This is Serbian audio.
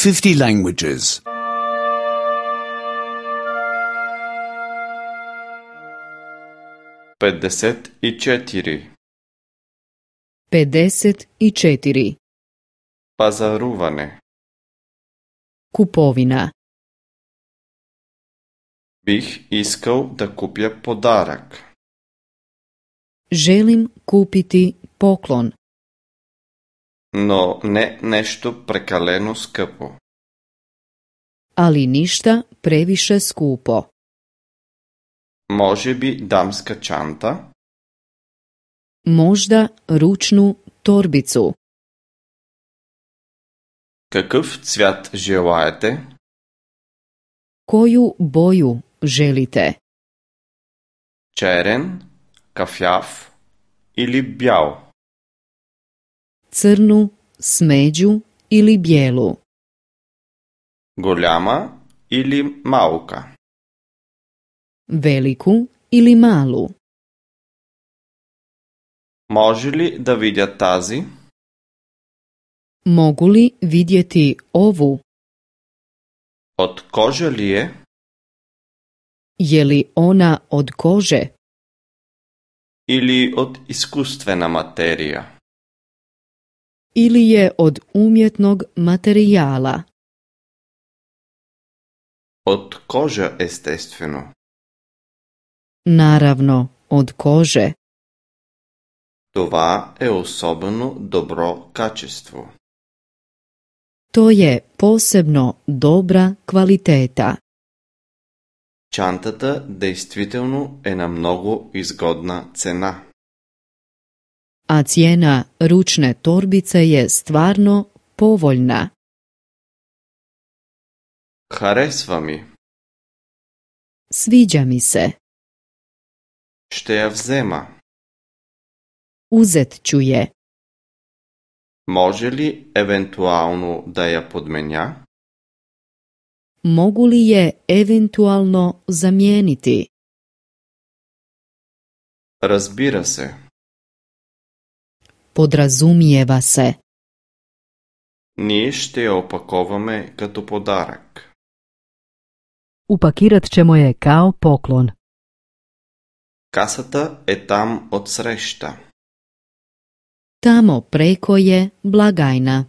50 languages. 54. 54. Пазаруване. Kupovina. Бих искал да купя подарък. Želim kupiti poklon, Но не нещо прекалено скъпо. ali ništa previše skupo. Може би дамска чанта? Možda ručnu torbicu. Какъв цвят желаете? Koju boju želite? Черен, кафяв или бял? Crnu, smeđu ili bijelu? Голяма или малка? Veliku ili malu? Може ли да видя тази? Mogu li vidjeti ovu? От кожа ли е? Je li ona od kože Или от изкуствена материя? ili je od umjetnog materijala? От кожа, естествено. Naravno, od kože. Това е особено добро качество. To je posebno dobra kvaliteta. Чантата действително е на много изгодна цена. A cijena ručne torbice je stvarno povoljna. Харесва ми. Sviđa mi se. Ще я взема. Uzet ću je. Може ли евентуално да я подменя? Mogu li je eventualno zamijeniti? Разбира се. Podrazumijeva se. Ние ще я опаковаме като подарък. Upakirat ćemo je kao poklon. Касата е там отсреща. Tamo preko je blagajna.